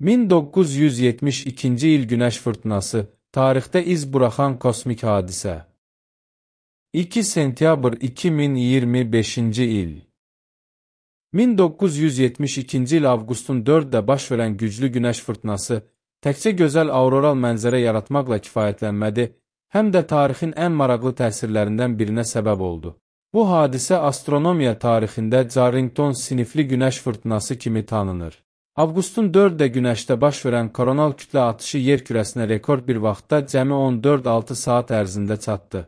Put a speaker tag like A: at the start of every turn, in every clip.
A: 1972-ci il Günəş fırtınası, tarixdə iz buraxan kosmik hadisə. 2 sentyabr 2025-ci il. 1972-ci il avqustun 4-də baş verən güclü Günəş fırtınası təkcə gözəl auroral mənzərə yaratmaqla kifayətlənmədi, həm də tarixin ən maraqlı təsirlərindən birinə səbəb oldu. Bu hadisə astronomiya tarixində Carrington sinifli Günəş fırtınası kimi tanınır. Avqustun 4-də Günəşdə baş verən koronal kütlə atışı yer kürəsinə rekord bir vaxtda cəmi 14-6 saat ərzində çatdı.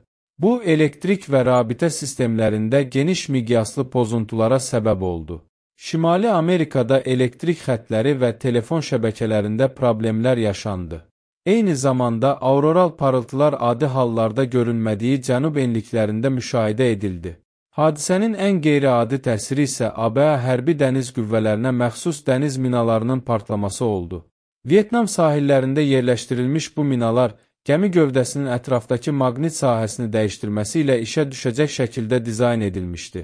A: Bu, elektrik və rabitə sistemlərində geniş miqyaslı pozuntulara səbəb oldu. Şimali Amerikada elektrik xətləri və telefon şəbəkələrində problemlər yaşandı. Eyni zamanda auroral parıltılar adi hallarda görünmədiyi cənub enliklərində müşahidə edildi. Hadisənin ən qeyri-adi təsiri isə ABŞ hərbi dəniz qüvvələrinə məxsus dəniz minalarının partlaması oldu. Vyetnam sahillərində yerləşdirilmiş bu minalar gəmi gövdəsinin ətrafdakı maqnit sahəsini dəyişdirməsi ilə işə düşəcək şəkildə dizayn edilmişdi.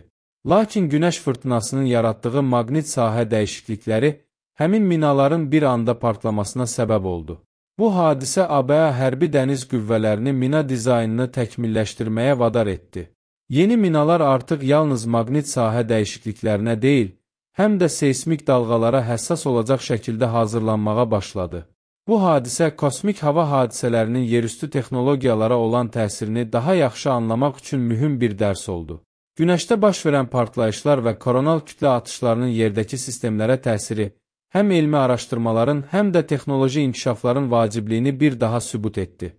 A: Lakin Günəş fırtınasının yaratdığı maqnit sahə dəyişiklikləri həmin minaların bir anda partlamasına səbəb oldu. Bu hadisə ABŞ hərbi dəniz qüvvələrini mina dizaynını təkmilləşdirməyə vadar etdi. Yeni minalar artıq yalnız maqnit sahə dəyişikliklərinə deyil, həm də seysmik dalğalara həssas olacaq şəkildə hazırlanmağa başladı. Bu hadisə kosmik hava hadisələrinin yerüstü texnologiyalara olan təsirini daha yaxşı anlamaq üçün mühüm bir dərs oldu. Günəşdə baş verən partlayışlar və koronal kütlə atışlarının yerdəki sistemlərə təsiri həm elmi araşdırmaların, həm də texnoloji inkişafların vacibliyini bir daha sübut etdi.